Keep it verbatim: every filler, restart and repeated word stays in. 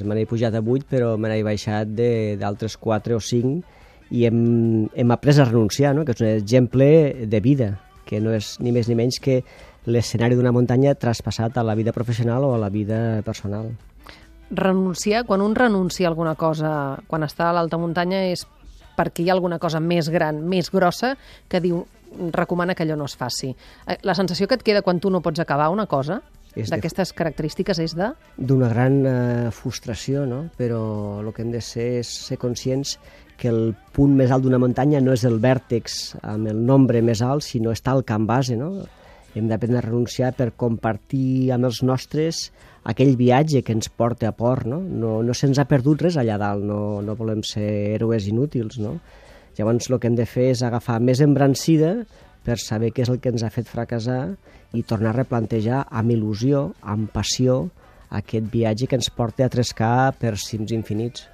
Me n'he pujat a vuit, però me n'he baixat d'altres quatre o cinc i hem, hem après a renunciar, no? Que és un exemple de vida, que no és ni més ni menys que l'escenari d'una muntanya traspassat a la vida professional o a la vida personal. Renunciar, quan un renuncia a alguna cosa, quan està a l'alta muntanya, és perquè hi ha alguna cosa més gran, més grossa, que diu, recomana que allò no es faci. La sensació que et queda quan tu no pots acabar una cosa, d'aquestes característiques, és de... D'una gran eh, frustració, no? Però el que hem de ser és ser conscients que el punt més alt d'una muntanya no és el vèrtex amb el nombre més alt, sinó està al camp base, no? Hem d'aprendre a renunciar per compartir amb els nostres aquell viatge que ens porta a port, no? No, no se'ns ha perdut res allà dalt, no, no volem ser héroes inútils, no? Llavors el que hem de fer és agafar més embrancida per saber què és el que ens ha fet fracassar i tornar a replantejar amb il·lusió, amb passió, aquest viatge que ens porta a trescar per cims infinits.